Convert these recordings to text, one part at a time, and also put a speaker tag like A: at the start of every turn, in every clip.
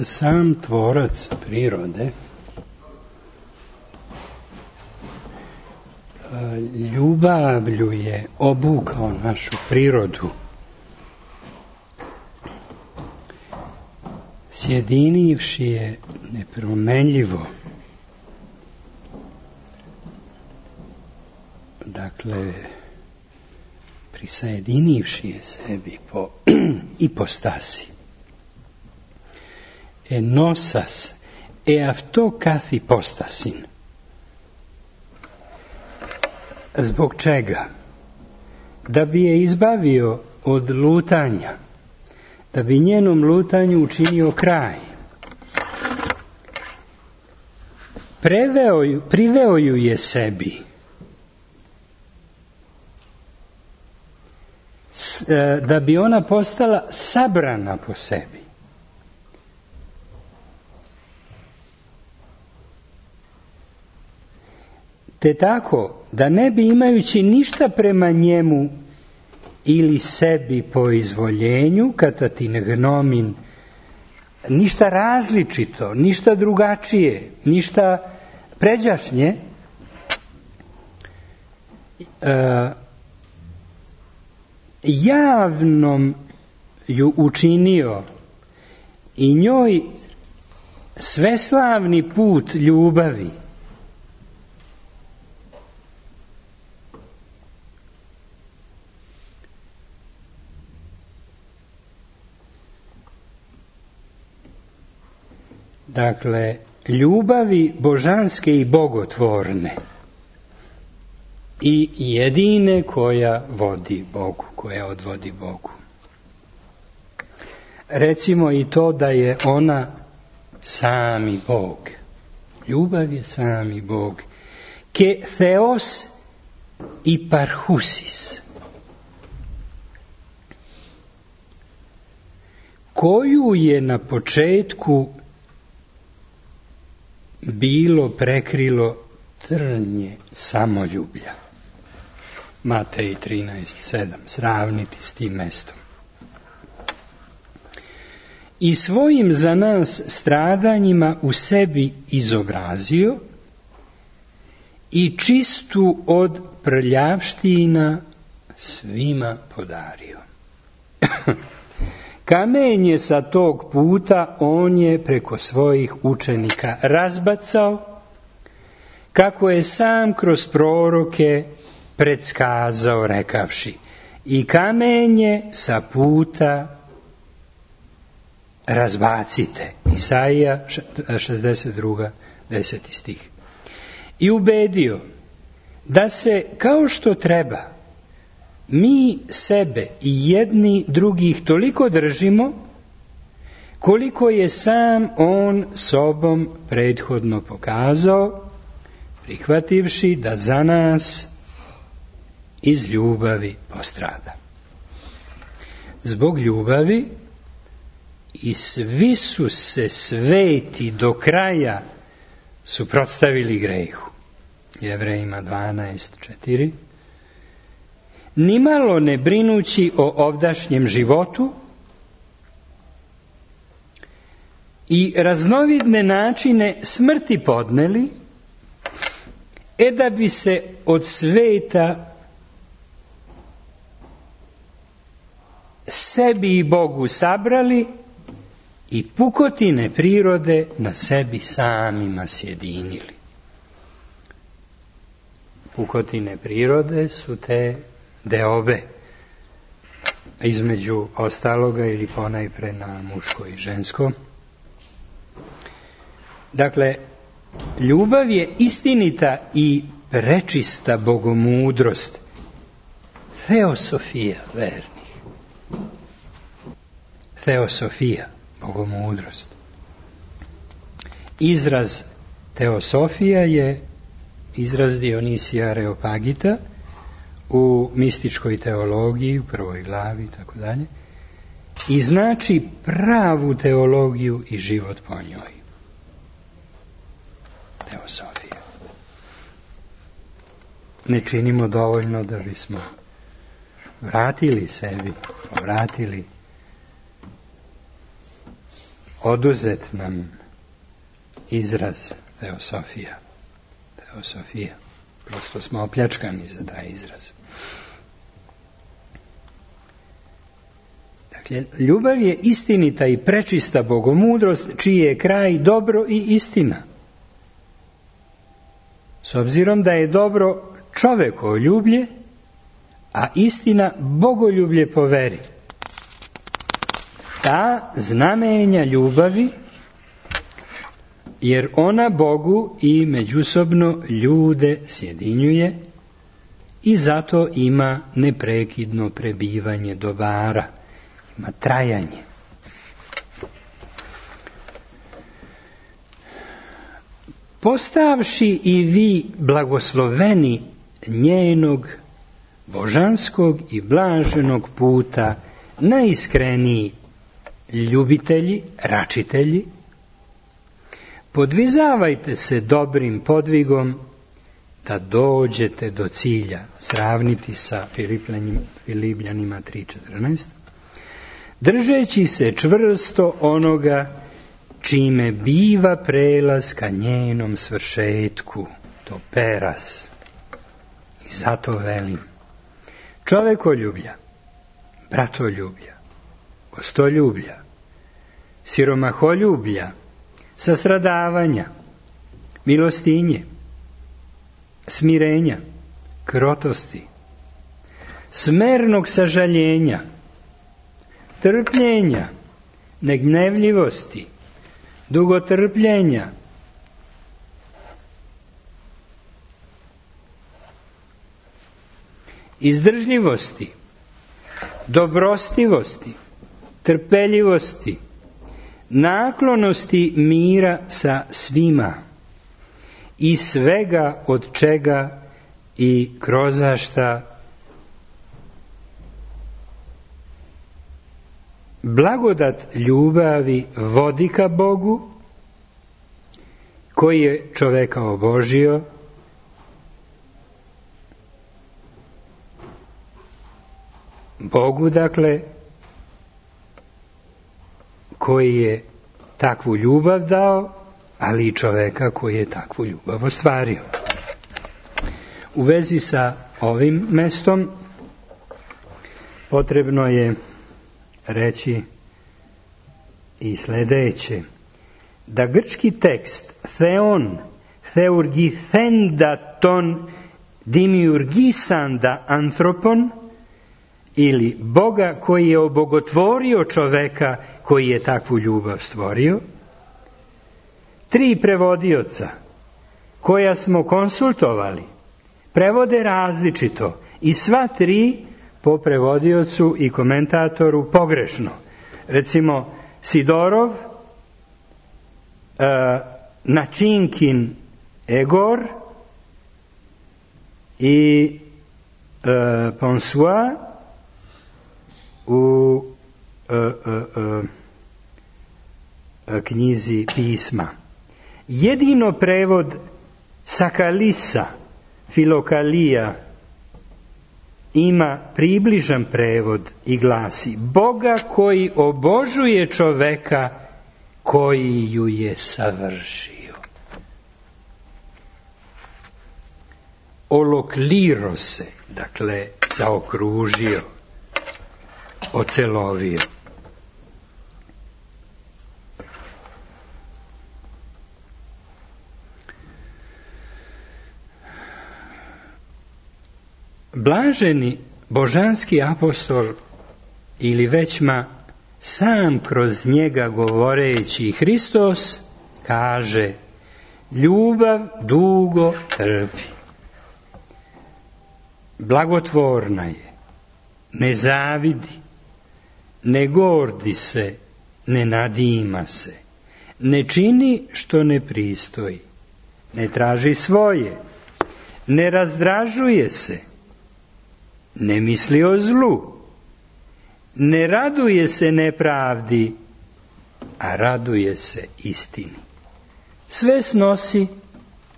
A: sam tvorac prirode ljubavlju je obukao našu prirodu, sjedinivši je nepromenljivo. Dakle, prisajedinivši je sebi po ipostasi. Ενώσας αυτό καθ' υπόστασιν. Zbog čega? Da bi je izbavio od lutanja, da bi njenom lutanju učinio kraj. Priveo ju je sebi. Da bi ona postala sabrana po sebi. Te tako, da ne bi imajući ništa prema njemu ili sebi po izvoljenju, katatin gnomin, ništa različito, ništa drugačije, ništa pređašnje, javnom ju učinio i njoj sveslavni put ljubavi. Dakle, ljubavi božanske i bogotvorne i jedine koja vodi Bogu, koja odvodi Bogu. Recimo i to da je ona sami Bog. Ljubav je sami Bog. Ke theos i parhusis. Koju je na početku bilo prekrilo trnje samoljublja. Matej 13:7. Sravniti s tim mestom. I svojim za nas stradanjima u sebi izobrazio i čistu od prljavština svima podario. Kamenje sa tog puta on je preko svojih učenika razbacao, kako je sam kroz proroke predskazao rekavši: i kamenje sa puta razbacite. Isaija 62. 10. stih. I ubedio da se kao što treba mi sebe i jedni drugih toliko držimo koliko je sam on sobom prethodno pokazao, prihvativši da za nas iz ljubavi postrada. Zbog ljubavi i svi su se sveti do kraja suprotstavili grehu. Jevrejima 12:4. Nimalo ne brinući o ovdašnjem životu i raznovidne načine smrti podneli, da bi se od sveta sebi i Bogu sabrali i pukotine prirode na sebi samima sjedinili. Pukotine prirode su te deobe, između ostaloga ili ponajpre na muško i žensko. Dakle, ljubav je istinita i prečista bogomudrost, teosofija vernih. Teosofija, bogomudrost. Izraz teosofija je izraz Dionisija Areopagita u mističkoj teologiji, u prvoj glavi i tako dalje, i znači pravu teologiju i život po njoj. Teosofija. Ne činimo dovoljno da bismo vratili sebi, povratili oduzet nam izraz teosofija. Teosofija. Prosto smo opljačkani za taj izraz. Dakle, ljubav je istinita i prečista bogomudrost, čiji je kraj dobro i istina. S obzirom da je dobro čovekoljublje, a istina bogoljublje po veri. Ta znamenja ljubavi, jer ona Bogu i međusobno ljude sjedinjuje i zato ima neprekidno prebivanje dobara, ima trajanje. Postavši i vi blagosloveni njenog božanskog i blaženog puta, najiskreniji ljubitelji, račitelji, podvizavajte se dobrim podvigom da dođete do cilja. Sravniti sa Filipljanima 3.14. Držeći se čvrsto onoga čime biva prelaz ka njenom svršetku, to peras. I zato velim, čovekoljublja, bratoljublja, gostoljublja, siromaholjublja, sastradavanja, milostinje, smirenja, krotosti, smernog sažaljenja, trpljenja, negnevljivosti, dugotrpljenja, izdržljivosti, dobrostivosti, trpeljivosti, naklonosti mira sa svima i svega od čega i krozašta blagodat ljubavi vodi ka Bogu, koji je čoveka obožio, Bogu, dakle, koji je takvu ljubav dao, ali i čoveka koji je takvu ljubav ostvario. U vezi sa ovim mestom potrebno je reći i sledeće, da grčki tekst theon, theurgithendaton, dimiurgisanda anthropon, ili Boga koji je obogotvorio čoveka koji je takvu ljubav stvorio, 3 prevodioca koja smo konsultovali prevode različito i sva 3 po prevodiocu i komentatoru pogrešno. Recimo Sidorov, Načinkin Egor i Ponsois u knjizi pisma. Jedino prevod Sakalisa, Filokalija, ima približan prevod i glasi: Boga koji obožuje čoveka koji ju je savršio. Olokliro se, dakle zaokružio, ocelovio. Blaženi božanski apostol ili većma sam kroz njega govoreći Hristos kaže: ljubav dugo trpi, blagotvorna je, ne zavidi, ne gordi se, ne nadima se, ne čini što ne pristoji, ne traži svoje, ne razdražuje se, ne misli o zlu, ne raduje se nepravdi, a raduje se istini. Sve snosi,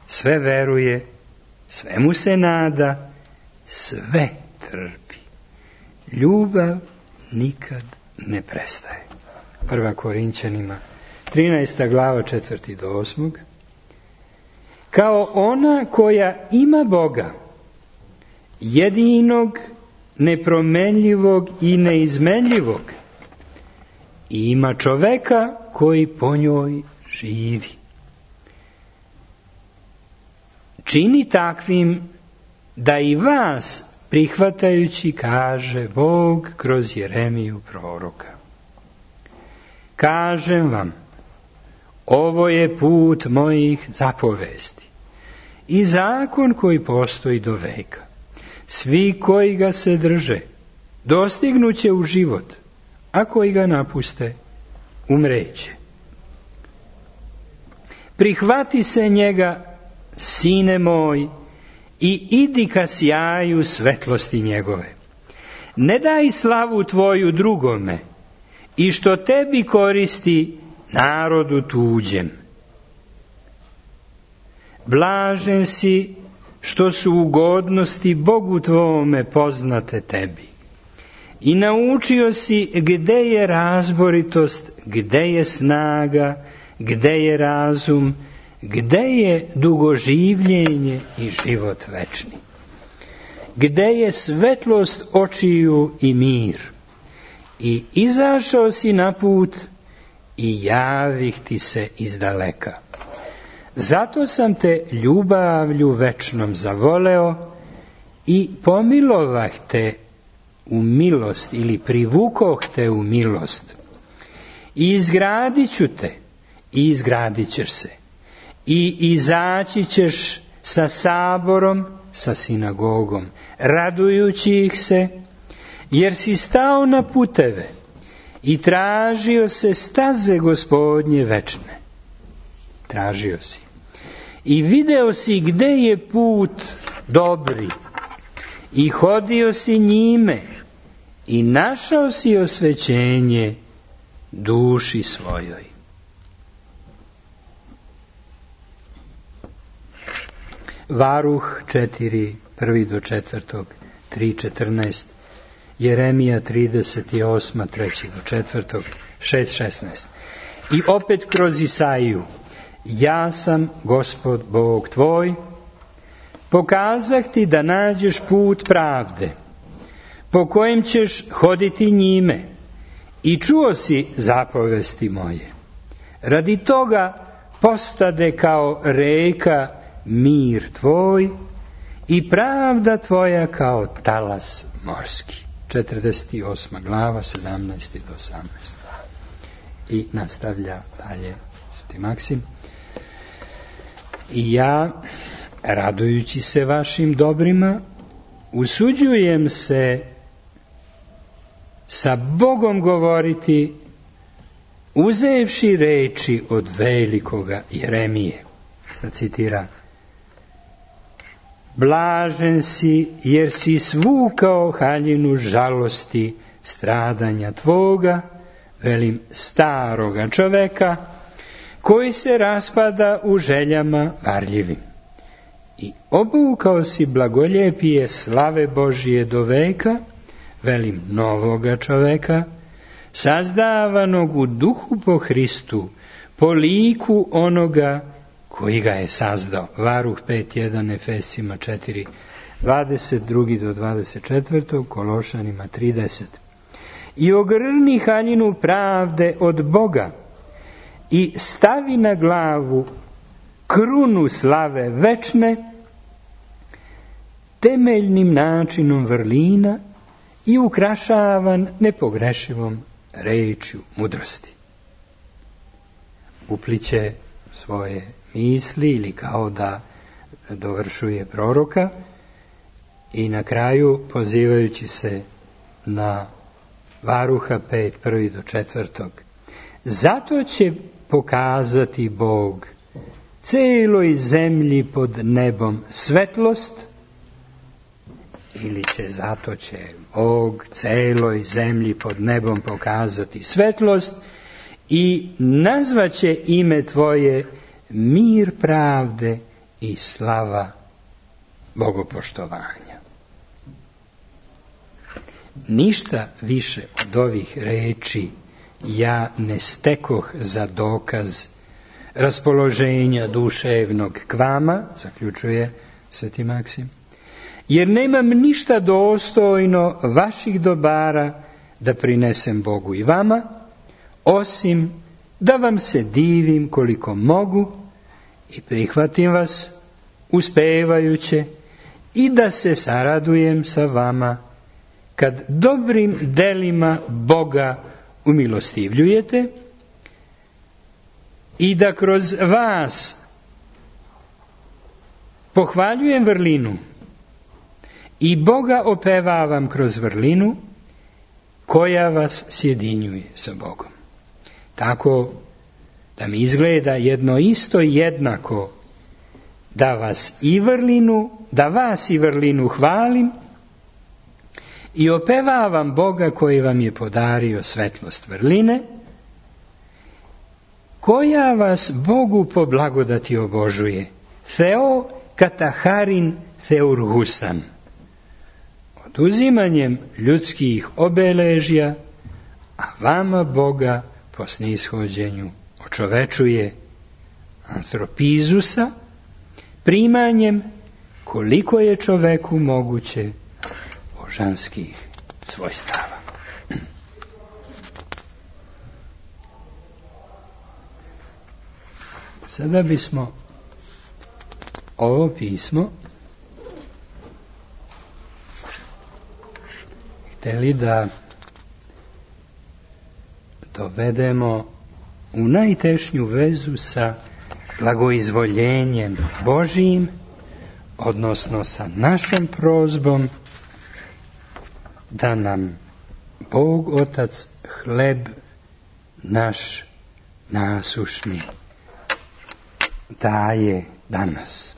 A: sve veruje, svemu se nada, sve trpi. Ljubav nikad ne prestaje. 1. Korinćanima 13. glava 4. do 8. Kao ona koja ima Boga, jedinog, nepromenljivog i neizmenljivog, i ima čoveka koji po njoj živi. Čini takvim da i vas prihvatajući, kaže Bog kroz Jeremiju proroka. Kažem vam, ovo je put mojih zapovesti i zakon koji postoji do veka. Svi koji ga se drže, dostignuće u život, a koji ga napuste, umreće. Prihvati se njega, sine moj, i idi ka sjaju svetlosti njegove. Ne daj slavu tvoju drugome, i što tebi koristi narodu tuđem. Blažen si što su ugodnosti Bogu tvome poznate tebi. I naučio si gde je razboritost, gde je snaga, gde je razum, gde je dugoživljenje i život večni. Gde je svetlost očiju i mir. I izašao si na put i javih ti se izdaleka. Zato sam te ljubavlju večnom zavoleo i pomilovah te u milost ili privukoh te u milost. I izgradit ću te i izgradit ćeš se. I izaći ćeš sa saborom, sa sinagogom, radujući ih se, jer si stao na puteve i tražio se staze Gospodnje večne. Tražio si. I video si gde je put dobri i hodio si njime i našao si osvećenje duši svojoj. Varuh 4, 1 do 4, 3:14, Jeremija 38, 3 do 4, 6:16. I opet kroz Isaiju, ja sam Gospod Bog tvoj, pokazah ti da nađeš put pravde, po kojem ćeš hoditi njime, i čuo si zapovesti moje. Radi toga postade kao reka mir tvoj i pravda tvoja kao talas morski. 48. glava, 17. do 18. I nastavlja dalje Sveti Maksim. I ja, radujući se vašim dobrima, usuđujem se sa Bogom govoriti, uzevši reči od velikoga Jeremije. Sad citira: blažen si jer si svukao haljinu žalosti stradanja tvoga, velim, staroga čoveka, koji se raspada u željama varljivim. I obukao si blagoljepije slave Božije do veka, velim, novoga čoveka, sazdavanog u duhu po Hristu, po liku onoga koji ga je sazdao. Varuh 5.1, Efesima 4, 22 do 24, Kološanima 30. I ogrni haljinu pravde od Boga i stavi na glavu krunu slave večne, temeljnim načinom vrlina i ukrašavan nepogrešivom rečju mudrosti. Upliće svoje misli ili kao da dovršuje proroka i na kraju, pozivajući se na Varuha 5, 1 do 4. Zato će pokazati Bog celoj zemlji pod nebom svetlost, ili zato će Bog celoj zemlji pod nebom pokazati svetlost i nazvaće ime tvoje mir pravde i slava bogopoštovanja. Ništa više od ovih reči ja ne stekoh za dokaz raspoloženja duševnog k vama, zaključuje Sveti Maksim, jer nemam ništa dostojno vaših dobara da prinesem Bogu i vama, osim da vam se divim koliko mogu i prihvatim vas uspevajuće i da se saradujem sa vama kad dobrim delima Boga umilostivljujete i da kroz vas pohvaljujem vrlinu i Boga opevavam kroz vrlinu koja vas sjedinjuje sa Bogom. Tako da mi izgleda jedno isto jednako da vas i vrlinu hvalim i opevavam Boga koji vam je podario svetlost vrline, koja vas Bogu po blagodati obožuje. Theo kataharin theurhusan. Oduzimanjem ljudskih obeležja, a vama Boga po snishođenju očovečuje antropizusa, primanjem koliko je čoveku moguće božanskih svojstava. Sada bismo ovo pismo hteli da dovedemo u najtešnju vezu sa blagoizvoljenjem Božijim, odnosno sa našom prozbom da nam Bog Otac hleb naš nasušni daje danas.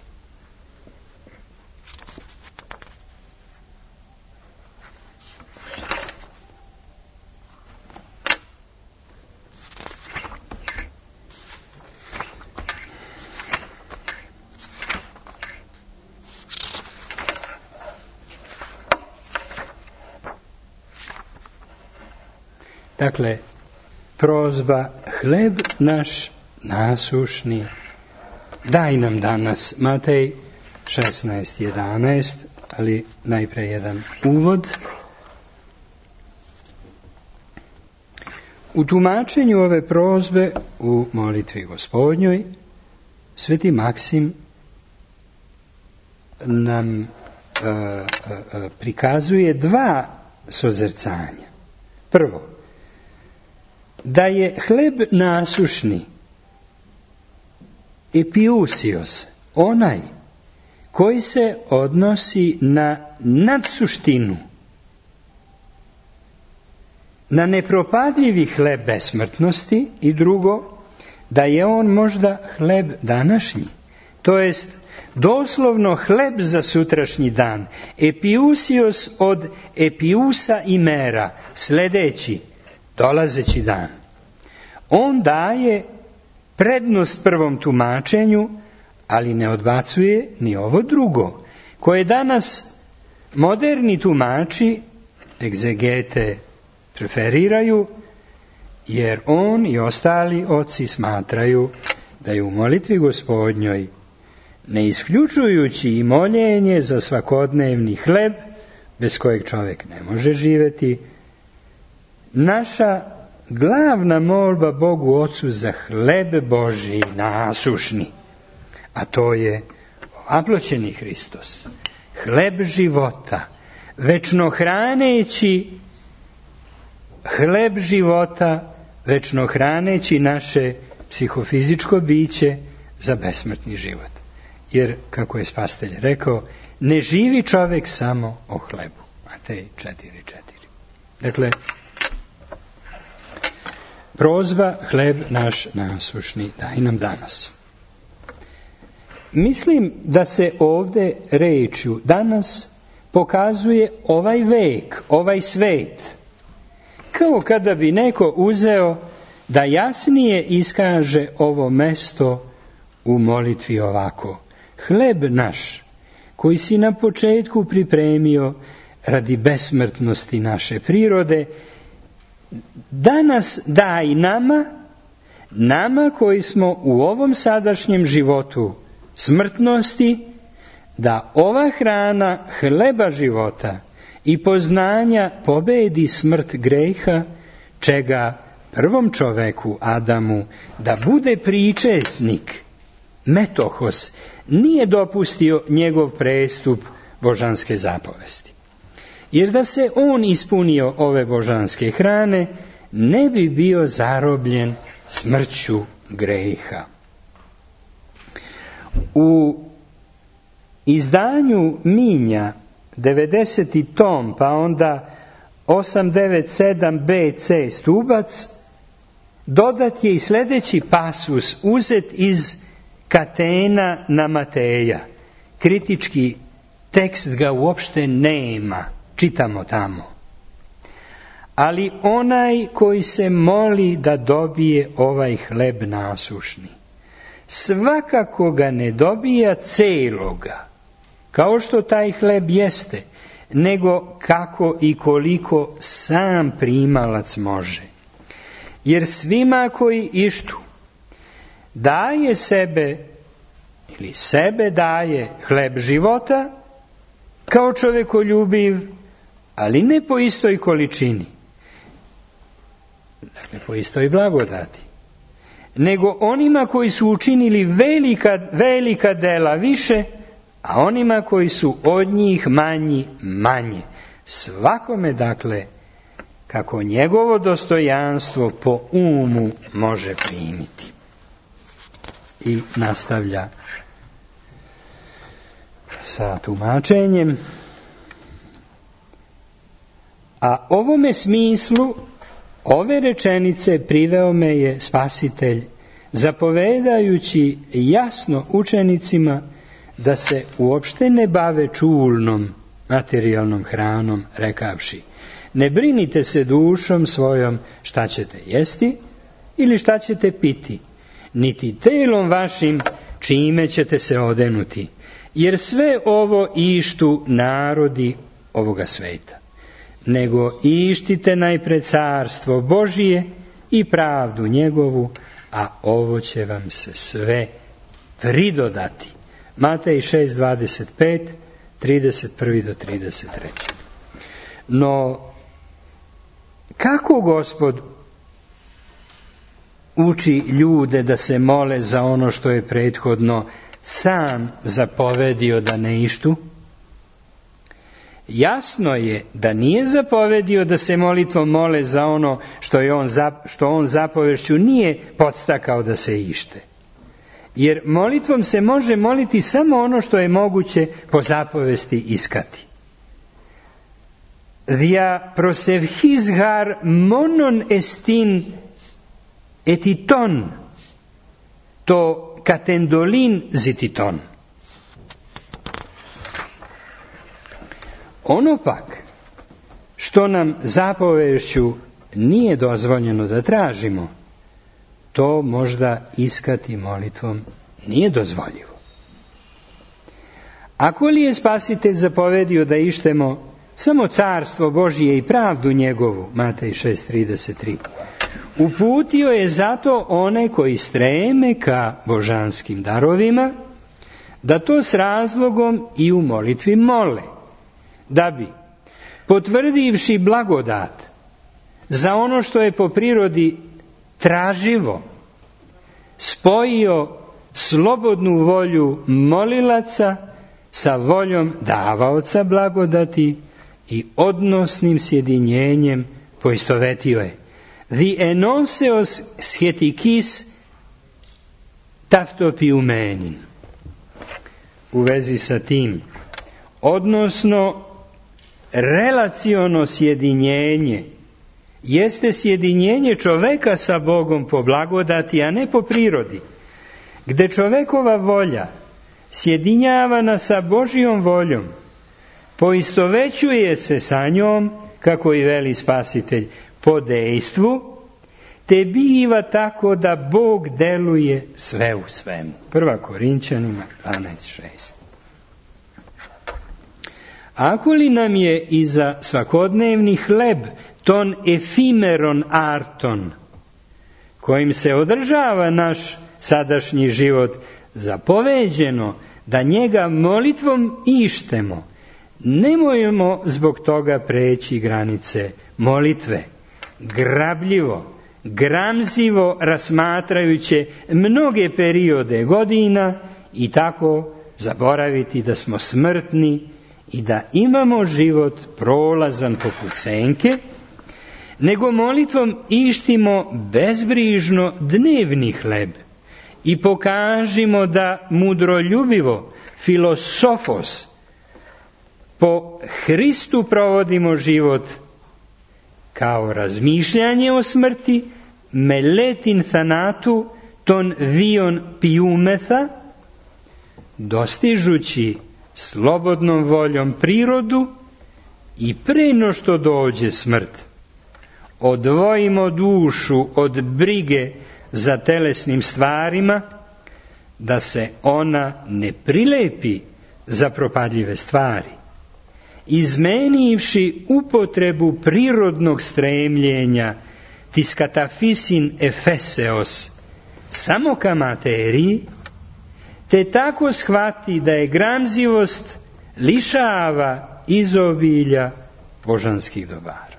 A: Dakle, prozba hleb naš nasušni daj nam danas. Matej 16:11, ali najpre jedan uvod. U tumačenju ove prozbe u molitvi Gospodnjoj Sveti Maksim nam prikazuje dva sozrcanja. Prvo, da je hleb nasušni epiusios, onaj koji se odnosi na nadsuštinu, na nepropadljivi hleb besmrtnosti, i drugo, da je on možda hleb današnji, to jest doslovno hleb za sutrašnji dan, epiusios od epiusa imera, sljedeći, dolazeći dan. On daje prednost prvom tumačenju, ali ne odbacuje ni ovo drugo, koje danas moderni tumači, egzegete, preferiraju, jer on i ostali oci smatraju da je u molitvi Gospodnjoj, ne isključujući i moljenje za svakodnevni hleb, bez kojeg čovjek ne može živjeti, naša glavna molba Bogu Ocu za hleb Božji nasušni, a to je aploćeni Hristos, hleb života, večno hraneći naše psihofizičko biće za besmrtni život. Jer, kako je Spasitelj rekao, ne živi čovjek samo o hlebu. Matej 4:4. Dakle, prozba hleb naš nasušni daj nam danas. Mislim da se ovdje rečju danas pokazuje ovaj vek, ovaj svet, kao kada bi neko uzeo da jasnije iskaže ovo mesto u molitvi ovako: hleb naš, koji si na početku pripremio radi besmrtnosti naše prirode, danas daj nama koji smo u ovom sadašnjem životu smrtnosti, da ova hrana hleba života i poznanja pobedi smrt greha, čega prvom čoveku Adamu da bude pričesnik, metohos, nije dopustio njegov prestup božanske zapovesti. Jer da se on ispunio ove božanske hrane, ne bi bio zarobljen smrću greha. U izdanju Minja, 90. tom, pa onda 897 BC stubac, dodat je i sljedeći pasus uzet iz Katena na Mateja. Kritički tekst ga uopšte nema, čitamo tamo. Ali onaj koji se moli da dobije ovaj hleb nasušni, svakako ga ne dobija celoga, kao što taj hleb jeste, nego kako i koliko sam primalac može. Jer svima koji ištu daje sebe ili sebe daje hleb života kao čovekoljubiv, ali ne po istoj količini, dakle po istoj blagodati, nego onima koji su učinili velika dela više, a onima koji su od njih manji manje. Svakome, dakle, kako njegovo dostojanstvo po umu može primiti. I nastavlja sa tumačenjem. A ovome smislu ove rečenice priveo me je Spasitelj, zapovedajući jasno učenicima da se uopšte ne bave čulnom materijalnom hranom, rekavši: ne brinite se dušom svojom šta ćete jesti ili šta ćete piti, niti telom vašim čime ćete se odenuti, jer sve ovo ištu narodi ovoga sveta. Nego ištite najpre carstvo Božije i pravdu njegovu, a ovo će vam se sve pridodati. Matej 6:25, 31 do 33. No, kako Gospod uči ljude da se mole za ono što je prethodno sam zapovedio da ne ištu? Jasno je da nije zapovedio da se molitvom mole za ono što on zapovešću nije podstakao da se ište. Jer molitvom se može moliti samo ono što je moguće po zapovesti iskati. Dia prosevhizgar monon estin etiton, to katendolin zititon. Ono pak što nam zapovešću nije dozvoljeno da tražimo, to možda iskati molitvom nije dozvoljivo. Ako li je Spasitelj zapovedio da ištemo samo carstvo Božije i pravdu njegovu, Matej 6:33, uputio je zato one koji streme ka božanskim darovima, da to s razlogom i u molitvi mole, da bi, potvrdivši blagodat za ono što je po prirodi traživo, spojio slobodnu volju molilaca sa voljom davaoca blagodati i odnosnim sjedinjenjem poistovetio je. Di enoseos schetikis taftopiumenin. U vezi sa tim, odnosno relaciono sjedinjenje jeste sjedinjenje čoveka sa Bogom po blagodati, a ne po prirodi, gde čovekova volja sjedinjavana sa Božijom voljom poistovećuje se sa njom, kako i veli Spasitelj, po dejstvu, te biva tako da Bog deluje sve u svemu. 1. Korinćanima 12:6. Ako li nam je i za svakodnevni hleb ton efimeron arton, kojim se održava naš sadašnji život, zapoveđeno da njega molitvom ištemo, nemojmo zbog toga preći granice molitve, grabljivo, gramzivo rasmatrajući mnoge periode godina i tako zaboraviti da smo smrtni i da imamo život prolazan poput senke, nego molitvom ištimo bezbrižno dnevni hleb i pokažimo da mudroljubivo, filosofos, po Hristu provodimo život kao razmišljanje o smrti, meletin thanatu ton vion piumetha, dostižući slobodnom voljom prirodu i pre no što dođe smrt, odvojimo dušu od brige za telesnim stvarima, da se ona ne prilepi za propadljive stvari, izmenivši upotrebu prirodnog stremljenja tis katafisin efeseos samo ka materiji, te tako shvati da je gramzivost lišava izobilja božanskih dobara.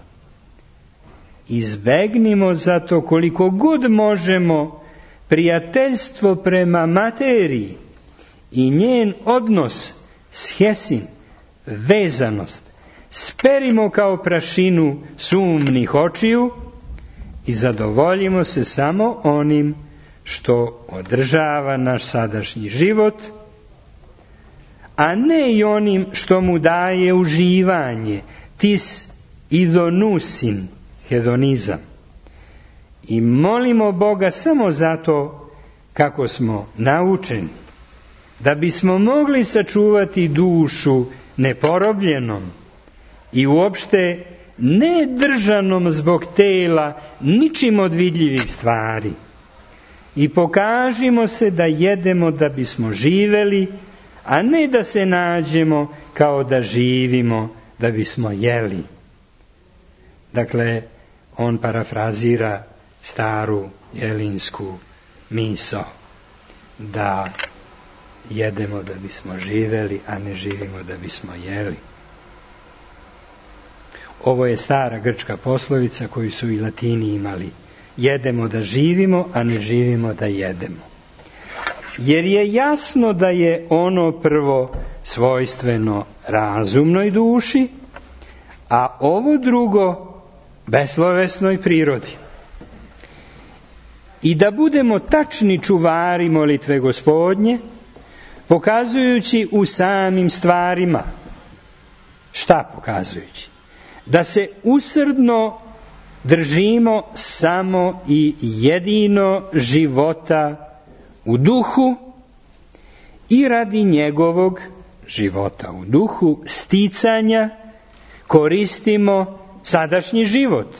A: Izbegnimo zato koliko god možemo prijateljstvo prema materiji i njen odnos schesin, vezanost, sperimo kao prašinu sumnih očiju i zadovoljimo se samo onim što održava naš sadašnji život, a ne i onim što mu daje uživanje, tis idonusin, hedonizam. I molimo Boga samo zato kako smo naučeni, da bismo mogli sačuvati dušu neporobljenom i uopšte ne držanom zbog tela ničim od vidljivih stvari. I pokažimo se da jedemo da bismo živeli, a ne da se nađemo kao da živimo da bismo jeli. Dakle, on parafrazira staru jelinsku misao da jedemo da bismo živeli, a ne živimo da bismo jeli. Ovo je stara grčka poslovica koju su i Latini imali. Jedemo da živimo, a ne živimo da jedemo. Jer je jasno da je ono prvo svojstveno razumnoj duši, a ovo drugo beslovesnoj prirodi. I da budemo tačni čuvari molitve Gospodnje, pokazujući u samim stvarima. Šta pokazujući? Da se usrdno držimo samo i jedino života u duhu i radi njegovog života u duhu sticanja koristimo sadašnji život,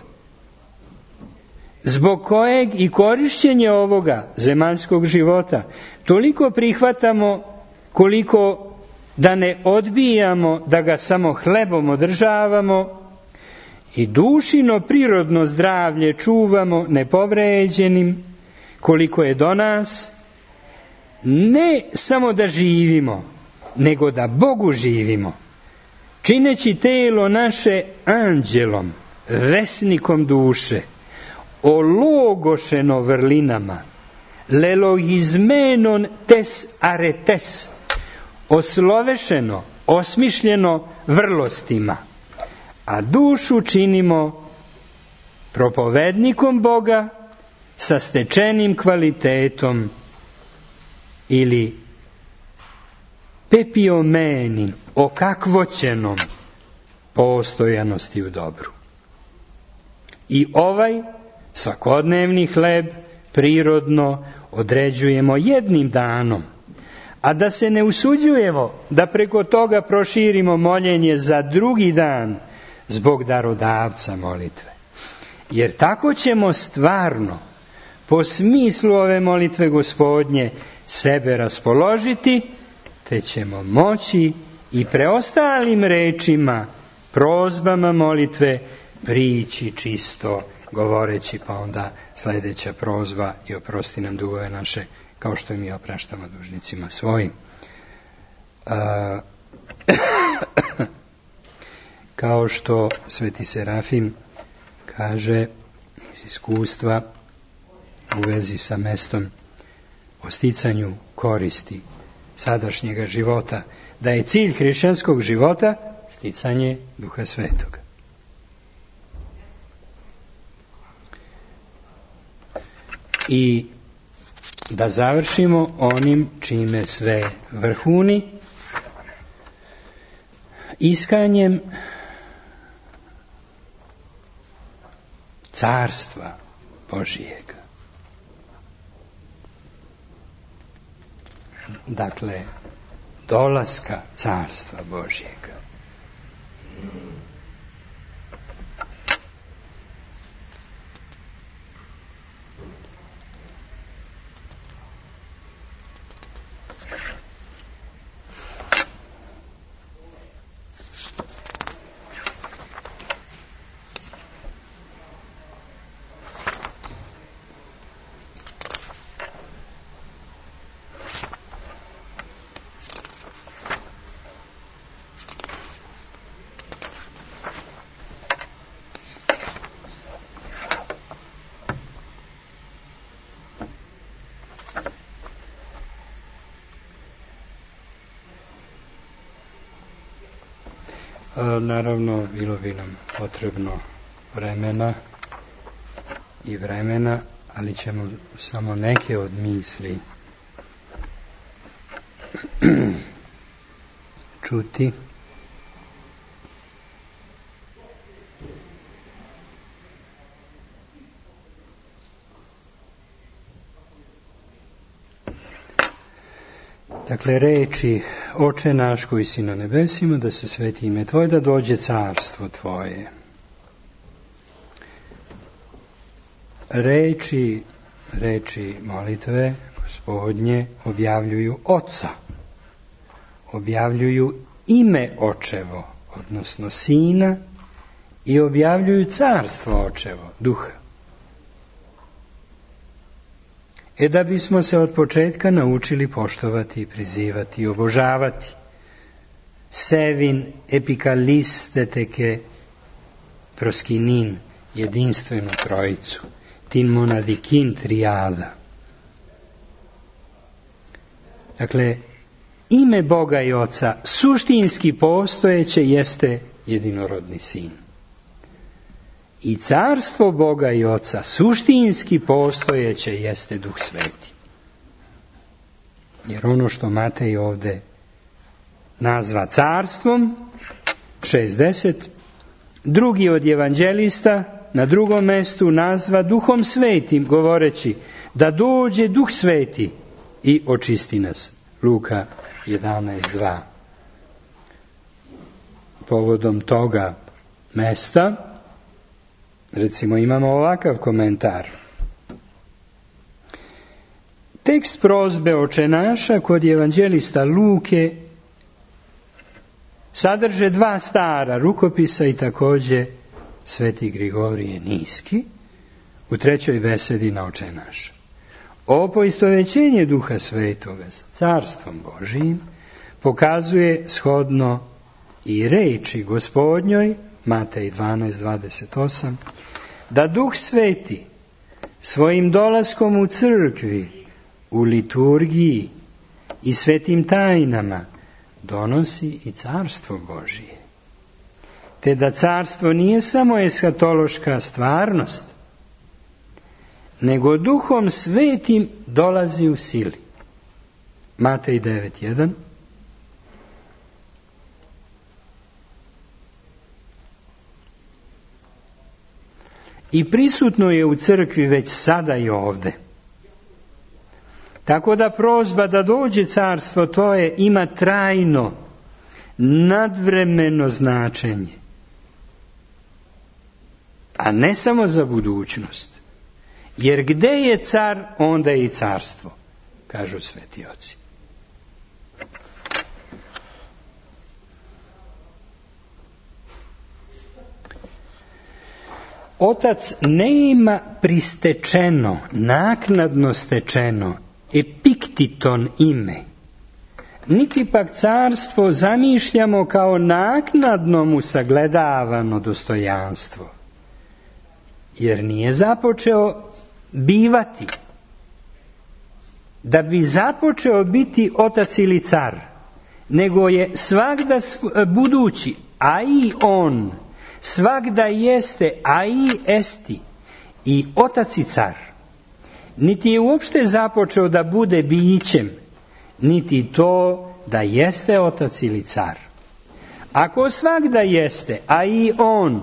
A: zbog kojeg i korišćenje ovoga zemaljskog života toliko prihvatamo koliko da ne odbijamo da ga samo hlebom održavamo i dušino prirodno zdravlje čuvamo nepovređenim koliko je do nas, ne samo da živimo, nego da Bogu živimo, čineći telo naše anđelom, vesnikom duše, ologošeno vrlinama, lelogizmenon tes aretes, oslovešeno, osmišljeno vrlostima, a dušu činimo propovednikom Boga sa stečenim kvalitetom ili pepiomenin, okakvoćenom postojanosti u dobru. I ovaj svakodnevni hleb prirodno određujemo jednim danom, a da se ne usuđujemo da preko toga proširimo moljenje za drugi dan zbog darodavca molitve. Jer tako ćemo stvarno, po smislu ove molitve Gospodnje, sebe raspoložiti, te ćemo moći i preostalim rečima, prozbama molitve prići čisto govoreći, pa onda sljedeća prozba i oprosti nam dugove naše kao što i mi opraštamo dužnicima svojim. Kao što Sveti Serafim kaže iz iskustva u vezi sa mestom o sticanju koristi sadašnjega života, da je cilj hrišćanskog života sticanje Duha Svetoga. I da završimo onim čime sve vrhuni, iskanjem carstva Božijega. Dakle, dolaska carstva Božijega. Naravno, bilo bi nam potrebno vremena, ali ćemo samo neke od misli čuti. Dakle, reči Oče naš koji si na nebesima, da se sveti ime Tvoje, da dođe carstvo Tvoje. Reči molitve Gospodnje objavljuju Oca, objavljuju ime Očevo, odnosno Sina, i objavljuju carstvo Očevo, Duha. Da bismo se od početka naučili poštovati, prizivati i obožavati sevin epikalistete proskinin, jedinstvenu trojicu, tin monadikin trijada. Dakle, ime Boga i Oca suštinski postojeće jeste jedinorodni Sin. I carstvo Boga i Oca suštinski postojeće jeste Duh Sveti. Jer ono što Matej ovdje nazva carstvom, 60, drugi od evanđelista na drugom mjestu nazva Duhom Svetim, govoreći da dođe Duh Sveti i očisti nas. Luka 11.2. Povodom toga mesta recimo imamo ovakav komentar. Tekst prozbe Oče naša kod evanđelista Luke sadrže 2 stara rukopisa i također Sveti Grigorije Niski u 3. besedi na Oče naš. Ovo poistovećenje Duha Svetoga sa carstvom Božijim pokazuje shodno i reči Gospodnjoj, Matej 12.28, da Duh Sveti svojim dolaskom u crkvi, u liturgiji i svetim tajnama donosi i carstvo Božije. Te da carstvo nije samo eshatološka stvarnost, nego Duhom Svetim dolazi u sili. Matej 9.1. I prisutno je u crkvi već sada i ovdje. Tako da prozba da dođe carstvo Tvoje ima trajno, nadvremeno značenje. A ne samo za budućnost. Jer gdje je car, onda je i carstvo, kažu sveti oci. Otac ne ima pristečeno, naknadno stečeno, epiktiton ime, niti pak carstvo zamišljamo kao naknadno mu sagledavano dostojanstvo, jer nije započeo bivati. Da bi započeo biti otac ili car, nego je svagda budući, a i on, svagda jeste, a i esti, i otac i car. Niti je uopšte započeo da bude bićem, niti to da jeste otac ili car. Ako svagda jeste, a i on,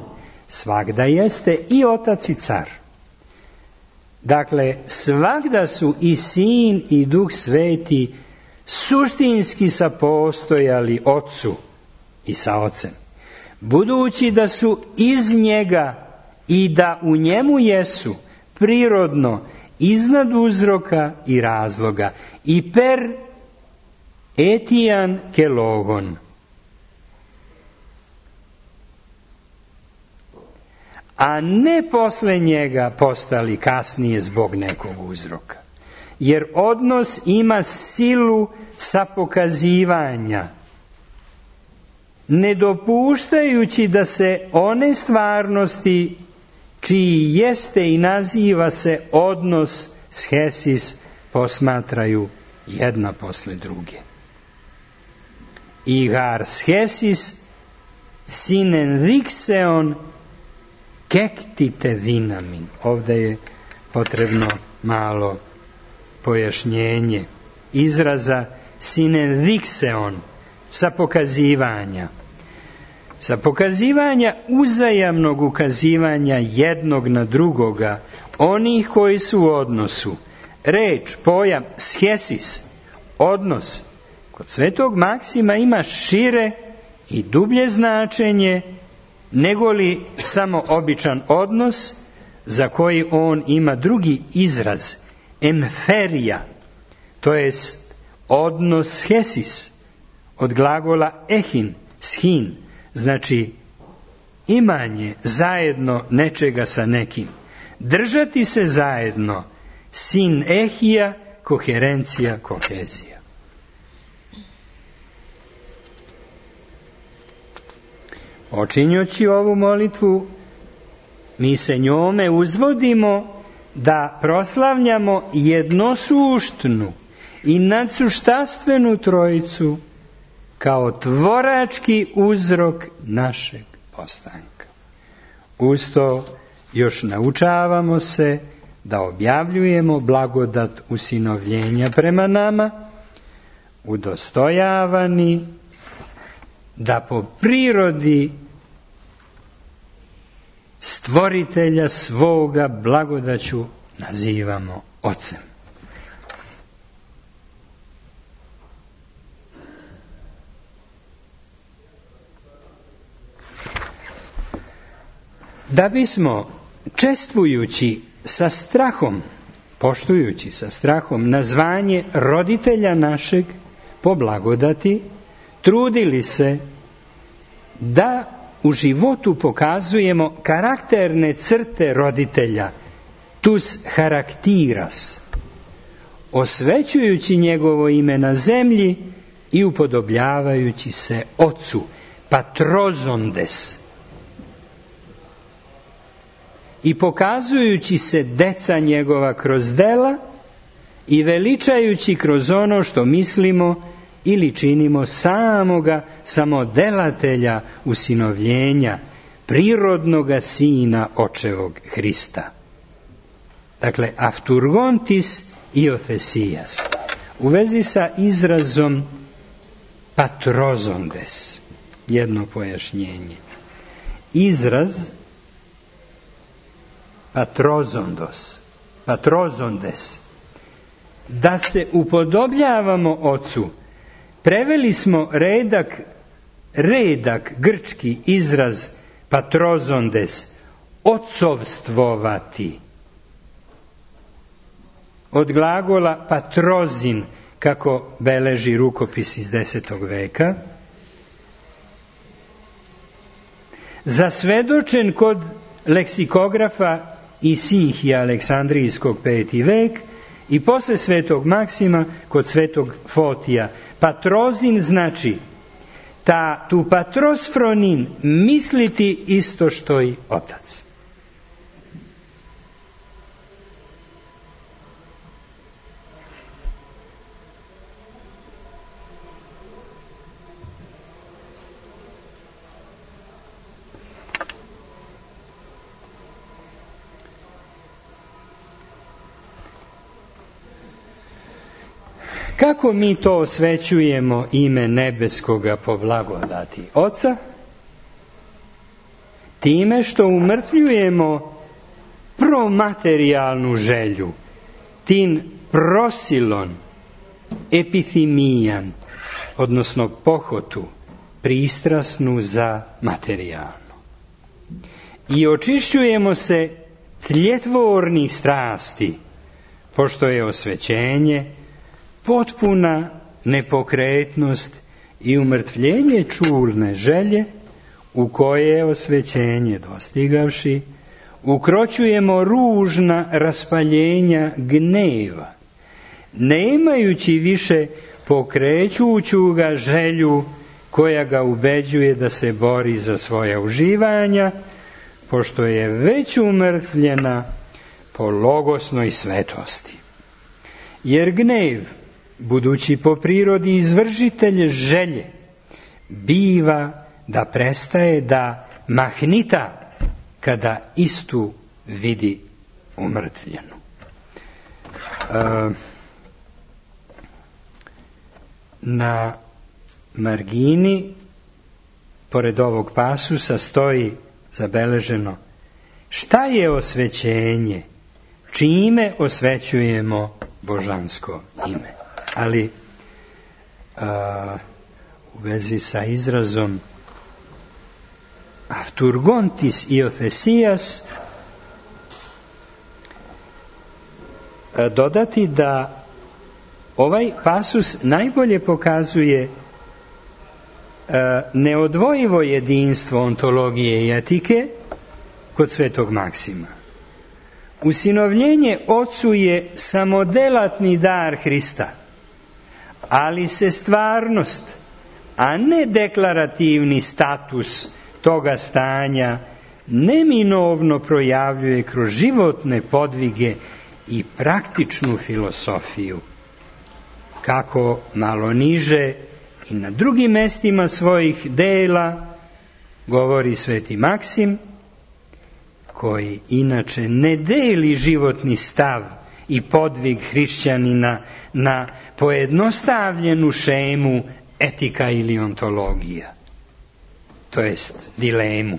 A: svagda jeste i otac i car. Dakle, svagda su i Sin i Duh Sveti suštinski sapostojali Otcu i sa Ocem, budući da su iz njega i da u njemu jesu prirodno iznad uzroka i razloga i per etian ke logon. A ne posle njega postali kasnije zbog nekog uzroka. Jer odnos ima silu sapokazivanja, ne dopuštajući da se one stvarnosti čiji jeste i naziva se odnos schesis posmatraju jedna posle druge. Igar schesis sinen dixeon kektite dinamin. Ovdje je potrebno malo pojašnjenje izraza sinen dixeon, sa pokazivanja. Sa pokazivanja uzajamnog ukazivanja jednog na drugoga, onih koji su u odnosu. Reč, pojam, schesis, odnos, kod Svetog Maksima ima šire i dublje značenje nego li samo običan odnos za koji on ima drugi izraz, emferija, to jest odnos schesis, od glagola ehin, schin, znači imanje zajedno nečega sa nekim. Držati se zajedno, sinehija, koherencija, kohezija. Počinjući ovu molitvu, mi se njome uzvodimo da proslavljamo jednosuštnu i nadsuštastvenu Trojicu kao tvorački uzrok našeg postanka. Uz to još naučavamo se da objavljujemo blagodat usinovljenja prema nama, udostojavani da po prirodi stvoritelja svoga blagodaću nazivamo Ocem. Da bismo čestvujući sa strahom, poštujući sa strahom nazvanje roditelja našeg po blagodati, trudili se da u životu pokazujemo karakterne crte roditelja, tus charakteras, osvećujući njegovo ime na zemlji i upodobljavajući se Ocu, patrozondes, i pokazujući se deca njegova kroz dela i veličajući kroz ono što mislimo ili činimo samoga samodelatelja usinovljenja, prirodnoga sina očevog Hrista. Dakle, afturgontis iothesias. U vezi sa izrazom patrozondes, jedno pojašnjenje. Izraz patrozondes, da se upodobljavamo Ocu, preveli smo redak grčki izraz patrozondes, ocovstvovati, od glagola patrozin, kako beleži rukopis iz 10. veka, zasvedočen kod leksikografa i Sinhija Aleksandrijskog 5. vek i posle svetog Maksima kod svetog Fotija. Patrozin znači tu patrosfronin misliti isto što i otac. Kako mi to osvećujemo ime nebeskoga po blagodati Oca? Time što umrtvljujemo promaterijalnu želju, tin prosilon, epithimijan, odnosno pohotu, pristrasnu za materijalno. I očišćujemo se tljetvornih strasti, pošto je osvećenje potpuna nepokretnost i umrtvljenje čurne želje, u koje je osvećenje dostigavši, ukroćujemo ružna raspaljenja gneva, nemajući više pokrećuću ga želju koja ga ubeđuje da se bori za svoja uživanja, pošto je već umrtvljena po logosnoj svetosti. Jer gnev, budući po prirodi izvršitelj želje, biva da prestaje da mahnita kada istu vidi umrtvljenu. Na margini, pored ovog pasusa, stoji zabeleženo: šta je osvećenje, čime osvećujemo božansko ime. Ali u vezi sa izrazom afturgontis iothesias dodati da ovaj pasus najbolje pokazuje neodvojivo jedinstvo ontologije i etike kod svetog Maksima. Usinovljenje Ocu je samodelatni dar Hrista, ali se stvarnost, a ne deklarativni status toga stanja, neminovno projavljuje kroz životne podvige i praktičnu filosofiju. Kako malo niže i na drugim mestima svojih dela govori sveti Maksim, koji inače ne deli životni stav i podvig hrišćanina na pojednostavljenu šemu etika ili ontologija, to jest dilemu,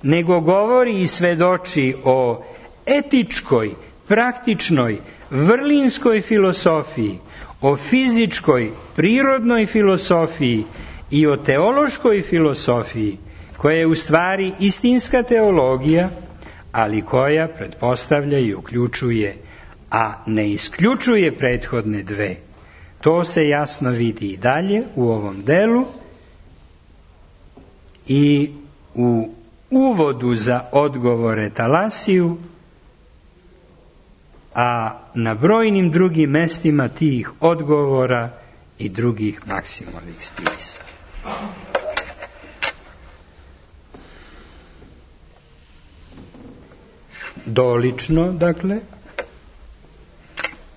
A: nego govori i svedoči o etičkoj, praktičnoj, vrlinskoj filosofiji, o fizičkoj, prirodnoj filosofiji i o teološkoj filosofiji, koja je u stvari istinska teologija, ali koja pretpostavlja i uključuje, a ne isključuje prethodne dve. To se jasno vidi i dalje u ovom delu i u uvodu za odgovore Talasiju, a na brojnim drugim mestima tih odgovora i drugih Maksimovih spisa. Dolično, dakle,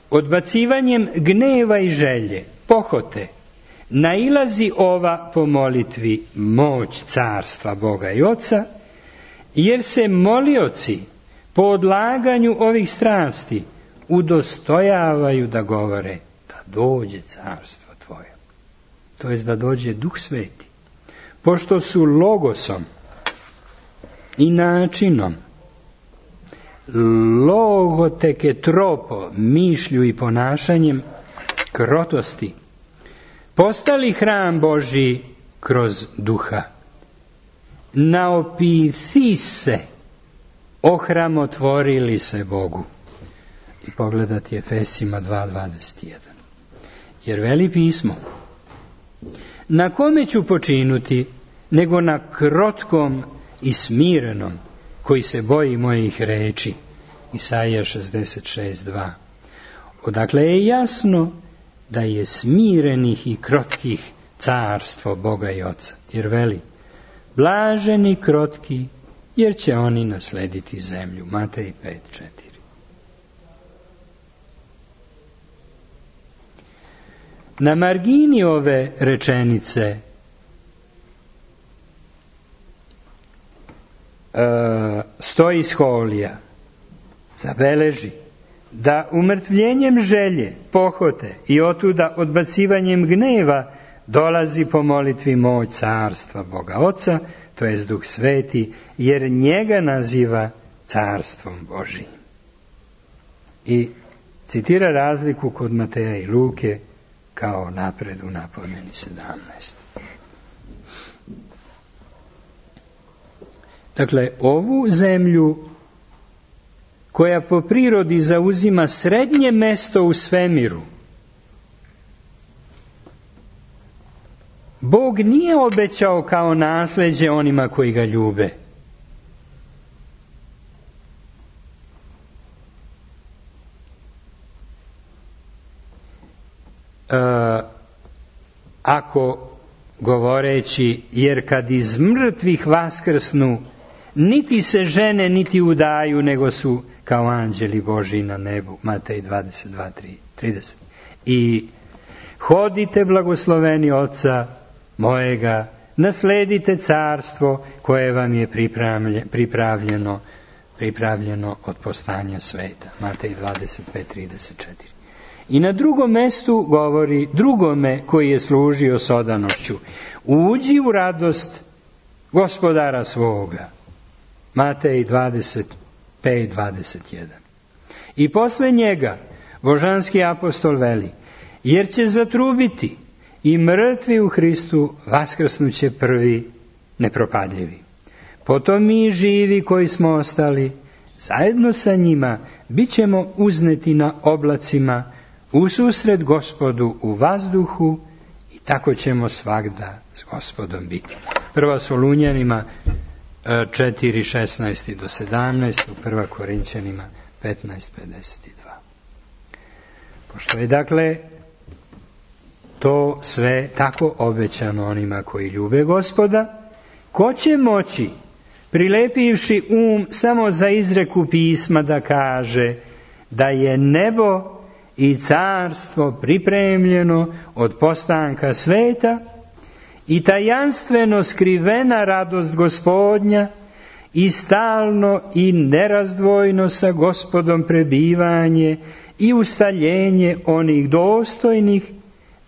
A: odbacivanjem gneva i želje, pohote, nailazi ova po molitvi moć carstva Boga i Oca, jer se molioci po odlaganju ovih strasti udostojavaju da govore da dođe carstvo Tvoje, to jest da dođe Duh Sveti, pošto su logosom i načinom, logoteke tropo, mišlju i ponašanjem krotosti, postali hram Božji kroz Duha. Naopithise, ohramotvorili se Bogu. I pogledati Efesima 2.21. Jer veli pismo: na kome ću počinuti, nego na krotkom i smirenom, koji se boji mojih reči. Isaija 66:2. Odakle je jasno da je smirenih i krotkih carstvo Boga i Oca. Jer veli, blaženi krotki, jer će oni naslediti zemlju. Matej 5:4. Na margini ove rečenice stoji Scholija, zabeleži da umrtvljenjem želje, pohote i otuda odbacivanjem gneva dolazi po molitvi moć carstva Boga Oca, to jest Duh Sveti, jer njega naziva carstvom Božijim. I citira razliku kod Mateja i Luke kao napred u napomeni 17. Dakle, ovu zemlju koja po prirodi zauzima srednje mesto u svemiru, Bog nije obećao kao nasleđe onima koji ga ljube. Ako govoreći, jer kad iz mrtvih vaskrsnu, niti se žene, niti udaju, nego su kao anđeli Božji na nebu. Matej 22:30. I hodite blagosloveni Oca mojega, nasledite carstvo koje vam je pripravljeno od postanja sveta. Matej 25:34. I na drugom mestu govori drugome koji je služio s odanošću, uđi u radost gospodara svoga. Matej 25:21. I posle njega božanski apostol veli, jer će zatrubiti i mrtvi u Hristu vaskrsnuće prvi nepropadljivi. Potom mi živi koji smo ostali, zajedno sa njima bit ćemo uzneti na oblacima ususret Gospodu u vazduhu i tako ćemo svagda s Gospodom biti. Prva Solunjanima 4:16-17, Prva Korinćanima 15:52. Pošto je dakle to sve tako obećano onima koji ljube Gospoda, ko će moći, prilepivši samo za izreku pisma, da kaže da je nebo i carstvo pripremljeno od postanka sveta i tajanstveno skrivena radost Gospodnja i stalno i nerazdvojno sa Gospodom prebivanje i ustaljenje onih dostojnih,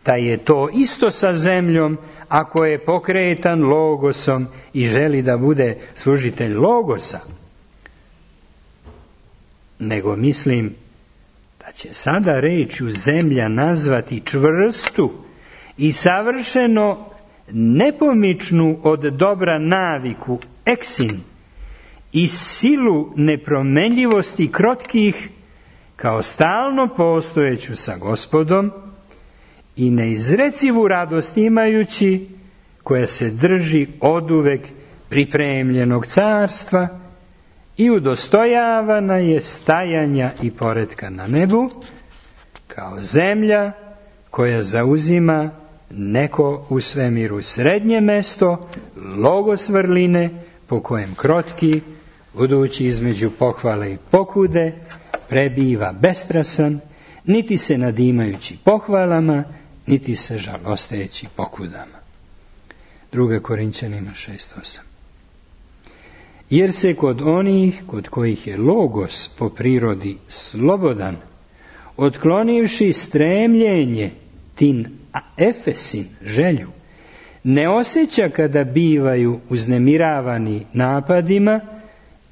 A: da je to isto sa zemljom ako je pokretan logosom i želi da bude služitelj logosa. Nego mislim da će sada rečju zemlja nazvati čvrstu i savršeno nepomičnu od dobra naviku, eksin, i silu nepromenljivosti krotkih, kao stalno postojeću sa Gospodom i neizrecivu radost imajući, koja se drži oduvek pripremljenog carstva i udostojavana je stajanja i poretka na nebu, kao zemlja koja zauzima neko u svemiru srednje mesto, logos vrline, po kojem krotki, budući između pohvale i pokude, prebiva bestrasan, niti se nadimajući pohvalama, niti se žalosteći pokudama. 2. Korinćanima 6:8. Jer se kod onih kod kojih je logos po prirodi slobodan, otklonivši stremljenje tin efesin, želju, ne osjeća kada bivaju uznemiravani napadima,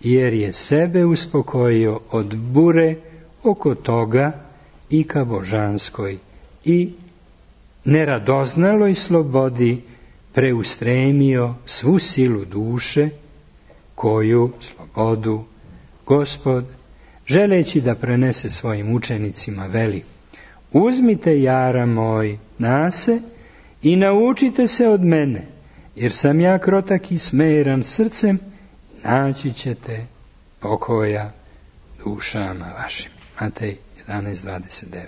A: jer je sebe uspokojio od bure oko toga i ka božanskoj i neradoznaloj slobodi preustremio svu silu duše, koju slobodu Gospod, želeći da prenese svojim učenicima, veli: uzmite jara moj nase i naučite se od mene, jer sam ja krotak i smeran srcem, naći ćete pokoja dušama vašim. Matej 11:29.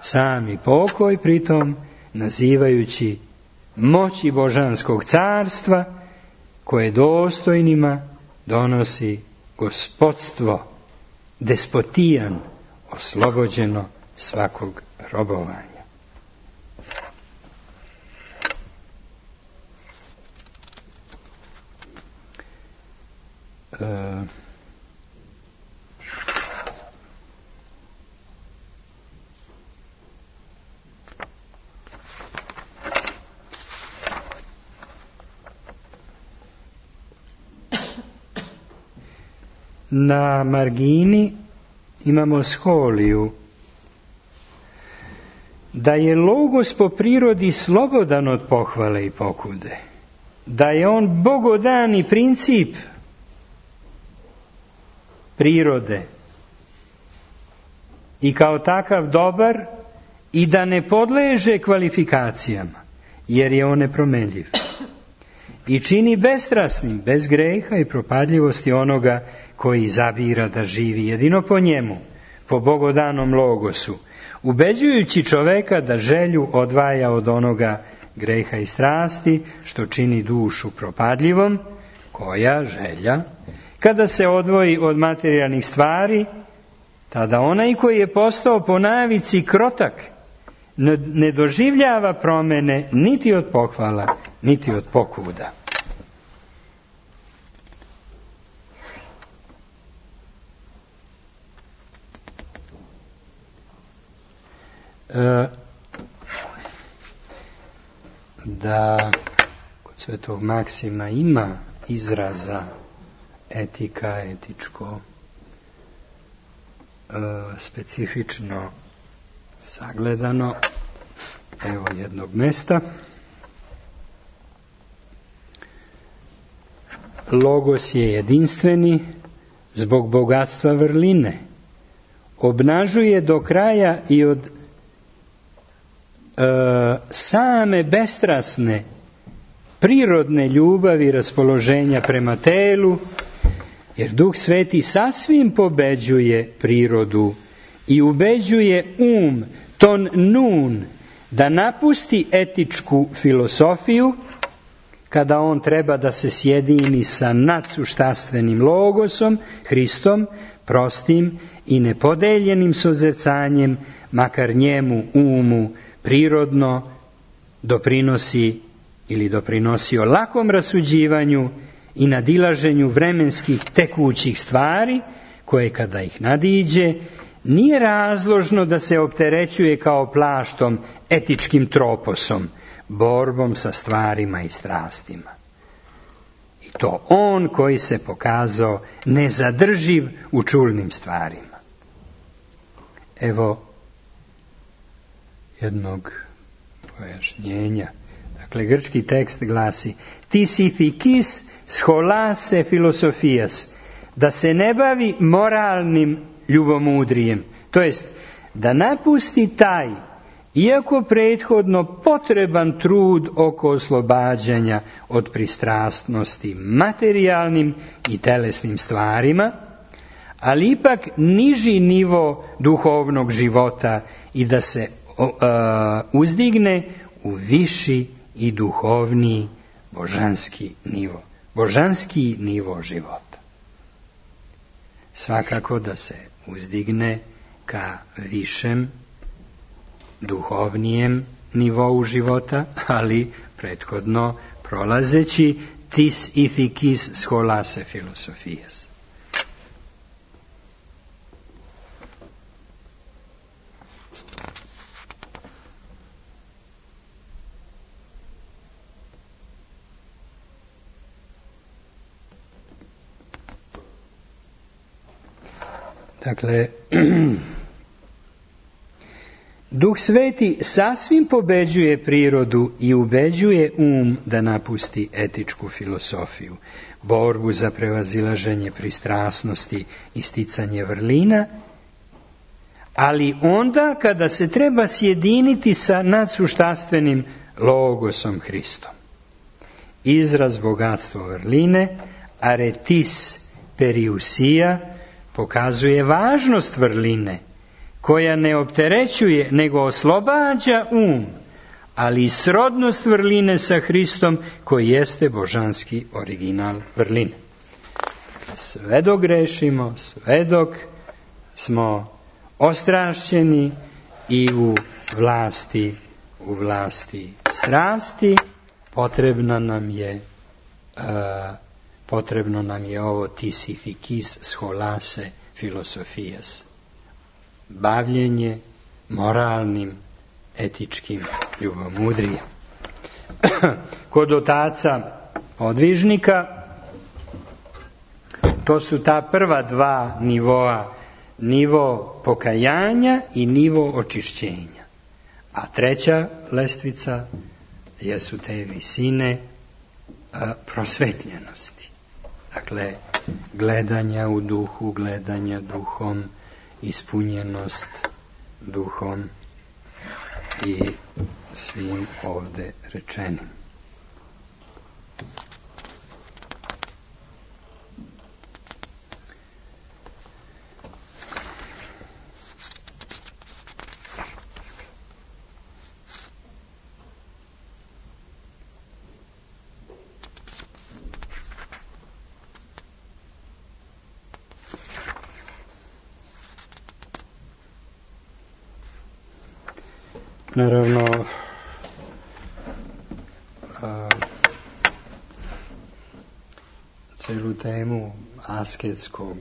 A: Sami pokoj, pritom nazivajući moći božanskog carstva koje dostojnima donosi gospodstvo, despotijan, oslobođeno svakog robovanja. Na margini imamo scholiju da je logos po prirodi slobodan od pohvale i pokude, da je on bogodani princip prirode i kao takav dobar i da ne podleže kvalifikacijama, jer je on nepromenljiv i čini bestrasnim, bez greha i propadljivosti onoga koji zabira da živi jedino po njemu, po bogodanom logosu, ubeđujući čoveka da želju odvaja od onoga greha i strasti, što čini dušu propadljivom, koja želja, kada se odvoji od materijalnih stvari, tada onaj koji je postao po navici krotak, ne doživljava promene niti od pohvala, niti od pokuda. Da kod Svetog Maksima ima izraza etika, etičko, specifično sagledano, evo jednog mesta. Logos je jedinstveni zbog bogatstva vrline, obnažuje do kraja i od same bestrasne prirodne ljubavi i raspoloženja prema telu, jer Duh Sveti sasvim pobeđuje prirodu i ubeđuje ton nun, da napusti etičku filosofiju kada on treba da se sjedini sa nadsuštastvenim logosom, Hristom, prostim i nepodeljenim sozercanjem, makar njemu, prirodno doprinosi ili doprinosio lakom rasuđivanju i nadilaženju vremenskih tekućih stvari, koje kada ih nadiđe, nije razložno da se opterećuje kao plaštom, etičkim troposom, borbom sa stvarima i strastima. I to on koji se pokazao nezadrživ u čulnim stvarima. Evo jednog pojašnjenja. Dakle, grčki tekst glasi: Tis ithikis scholase filosofijas, da se ne bavi moralnim ljubomudrijem, to jest da napusti taj, iako prethodno potreban trud oko oslobađanja od pristrasnosti materijalnim i telesnim stvarima, ali ipak niži nivo duhovnog života i da se uzdigne u viši i duhovni božanski nivo života. Svakako da se uzdigne ka višem, duhovnijem nivou života, ali prethodno prolazeći tis ithikis scholase filosofijas. Dakle, Duh Sveti sasvim pobeđuje prirodu i ubeđuje da napusti etičku filosofiju, borbu za prevazilaženje pristrasnosti i sticanje vrlina, ali onda kada se treba sjediniti sa nadsuštastvenim logosom Hristom. Izraz bogatstvo vrline, aretis periusija pokazuje važnost vrline, koja ne opterećuje, nego oslobađa ali i srodnost vrline sa Hristom, koji jeste božanski original vrline. Sve dok grešimo, sve dok smo ostrašćeni i u vlasti strasti, potrebno nam je ovo tisifikis scholase filosofijas, bavljenje moralnim, etičkim ljubomudrijem. Kod otaca podvižnika to su ta prva dva nivoa, nivo pokajanja i nivo očišćenja. A treća lestvica jesu te visine prosvetljenosti. Dakle, gledanja u duhu, gledanja duhom, ispunjenost duhom i svim ovde rečenim. Naravno, celu temu asketskog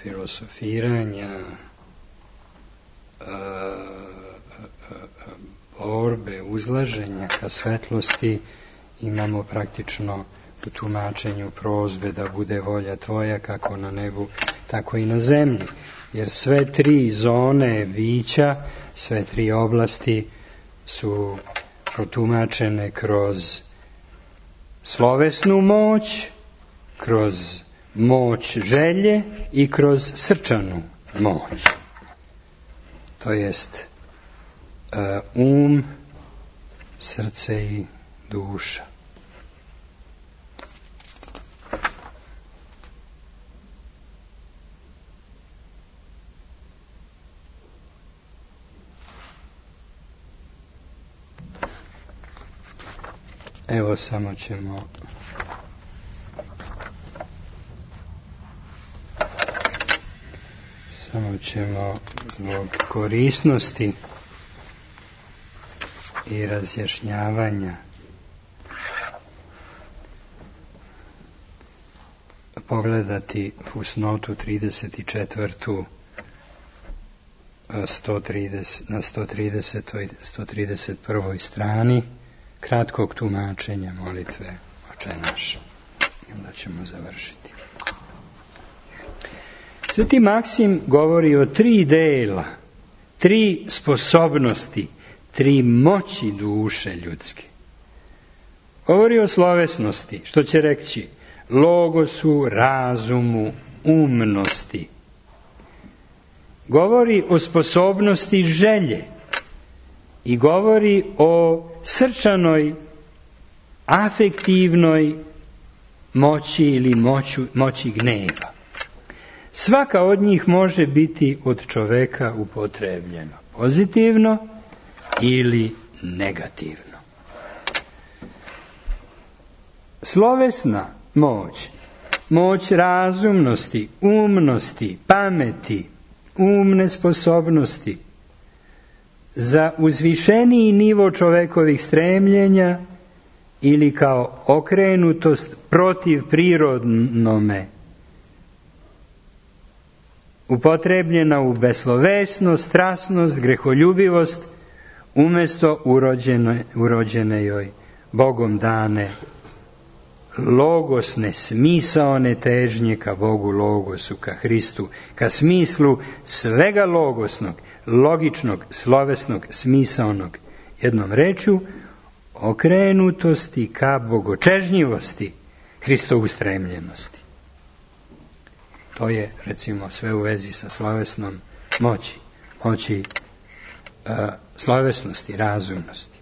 A: filosofiranja, borbe, uzlaženja ka svetlosti imamo praktično u tumačenju prozbe da bude volja tvoja kako na nebu, tako i na zemlji. Jer sve tri zone bića, sve tri oblasti su protumačene kroz slovesnu moć, kroz moć želje i kroz srčanu moć. To jest srce i duša. Evo samo ćemo zbog korisnosti i razjašnjavanja pogledati fusnotu 34. na 131. strani kratkog tumačenja molitve Oče naš. I onda ćemo završiti. Sveti Maksim govori o tri dela, tri sposobnosti, tri moći duše ljudske. Govori o slovesnosti, što će reći logosu, razumu, umnosti. Govori o sposobnosti želje i govori o srčanoj, afektivnoj moći ili moći gneva. Svaka od njih može biti od čoveka upotrebljeno pozitivno ili negativno. Slovesna moć, moć razumnosti, umnosti, pameti, umne sposobnosti, za uzvišeniji nivo čovekovih stremljenja ili kao okrenutost protiv prirodnome, upotrebljena u beslovesnost, strasnost, greholjubivost, umjesto urođene joj Bogom dane logosne, smisaone težnje ka Bogu logosu, ka Hristu, ka smislu svega logosnog, logičnog, slovesnog, smisaonog, jednom rečju, okrenutosti ka bogočežnjivosti, Hristovu stremljenosti. To je, recimo, sve u vezi sa slovesnom moći slovesnosti, razumnosti.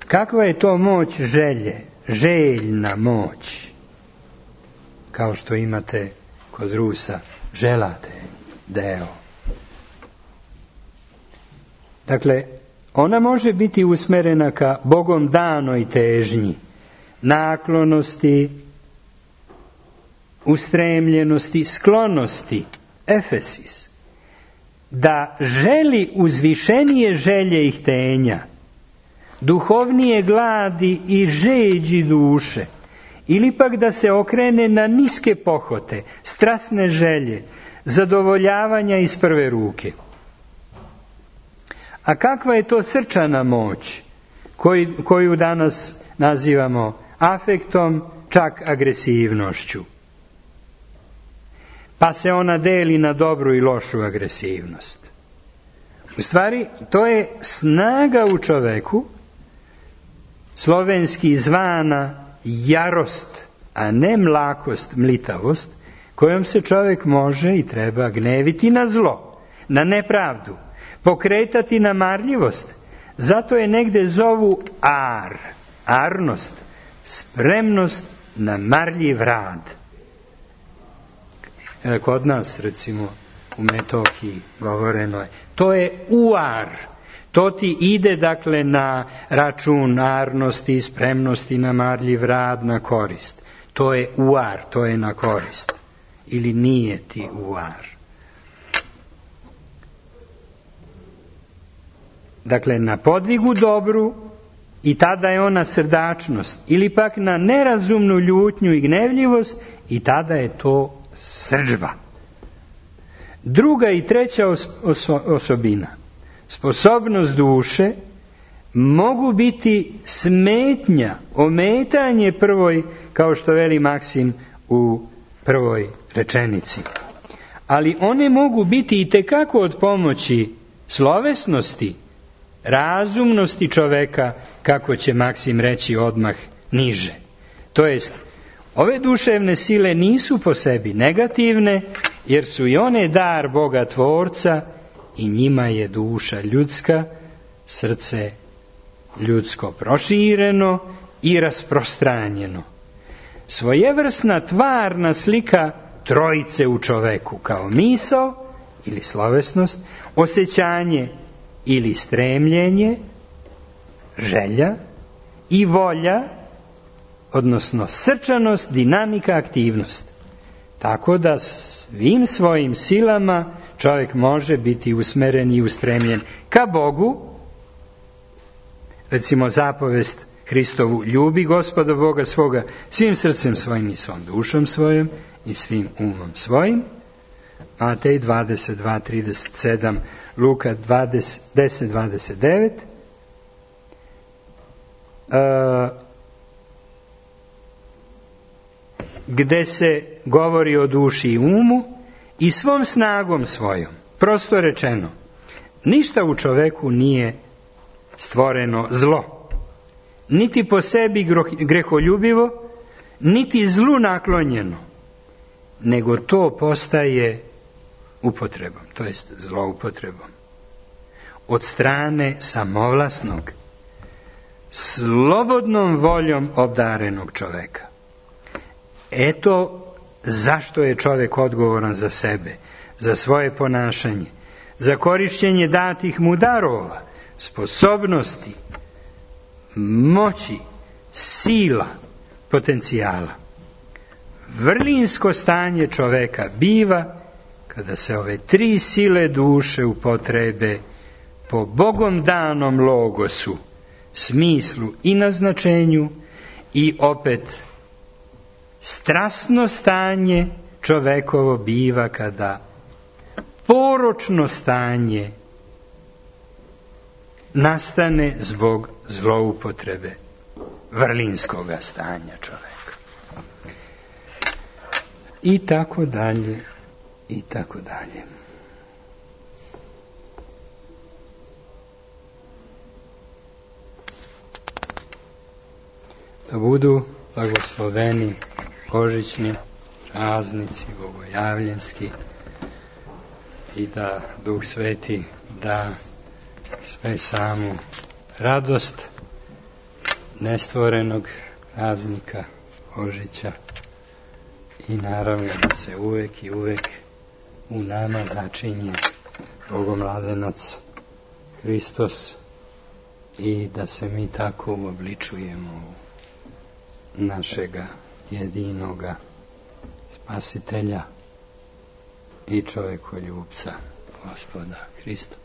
A: Kakva je to moć želje, željna moć? kao što imate kod Rusa, želate deo. Dakle, ona može biti usmerena ka Bogom danoj težnji, naklonosti, ustremljenosti, sklonosti, efesis, da želi uzvišenije želje i htenja, duhovnije gladi i žeđi duše, ili pak da se okrene na niske pohote, strasne želje, zadovoljavanja iz prve ruke. A kakva je to srčana moć koju danas nazivamo afektom, čak agresivnošću? Pa se ona deli na dobru i lošu agresivnost. U stvari, to je snaga u čoveku, slovenski zvana jarost, a ne mlakost, mlitavost, kojom se čovjek može i treba gneviti na zlo, na nepravdu, pokretati na marljivost. Zato je negde zovu arnost, spremnost na marljiv rad. Kod nas, recimo, u Metohiji govoreno je, to je uar, to ti ide, dakle, na račun arnosti, spremnosti na marljiv rad, na korist. To je uar, to je na korist. Ili nije ti uar. Dakle, na podvigu dobru, i tada je ona srdačnost, ili pak na nerazumnu ljutnju i gnevljivost, i tada je to srdžba. Druga i treća osobina, sposobnost duše, mogu biti smetnja, ometanje prvoj, kao što veli Maksim u prvoj rečenici. Ali one mogu biti i tekako od pomoći slovesnosti, razumnosti čoveka, kako će Maksim reći odmah niže. To jest, ove duševne sile nisu po sebi negativne, jer su i one dar Boga Tvorca i njima je duša ljudska, srce ljudsko prošireno i rasprostranjeno. Svojevrsna tvarna slika trojice u čoveku, kao misao ili slovesnost, osjećanje ili stremljenje, želja i volja, odnosno srčanost, dinamika, aktivnost. Tako da svim svojim silama čovjek može biti usmeren i ustremljen ka Bogu. Recimo zapovest Hristovu, ljubi Gospoda Boga svoga svim srcem svojim i svom dušom svojom i svim umom svojim. Matej 22:37, Luka 10:29. Gde se govori o duši i umu i svom snagom svojom. Prosto rečeno, ništa u čoveku nije stvoreno zlo, niti po sebi greholjubivo, niti zlu naklonjeno, nego to postaje upotrebom, to jest zloupotrebom, od strane samovlasnog, slobodnom voljom obdarenog čoveka. Eto zašto je čovjek odgovoran za sebe, za svoje ponašanje, za korišćenje datih mu darova, sposobnosti, moći, sila, potencijala. Vrlinsko stanje čoveka biva kada se ove tri sile duše upotrebe po Bogom danom logosu, smislu i naznačenju, i opet strasno stanje čovekovo biva kada poročno stanje nastane zbog zloupotrebe vrlinskoga stanja čoveka. I tako dalje, i tako dalje. Da budu blagosloveni božićni praznici bogojavljenski i da Duh Sveti da sve samu radost nestvorenog praznika Božića i naravno da se uvek i uvek u nama začinje Bogomladenac Hristos i da se mi tako uobličujemo u našega jedinoga Spasitelja i čovjekoljubca Gospoda Hrista.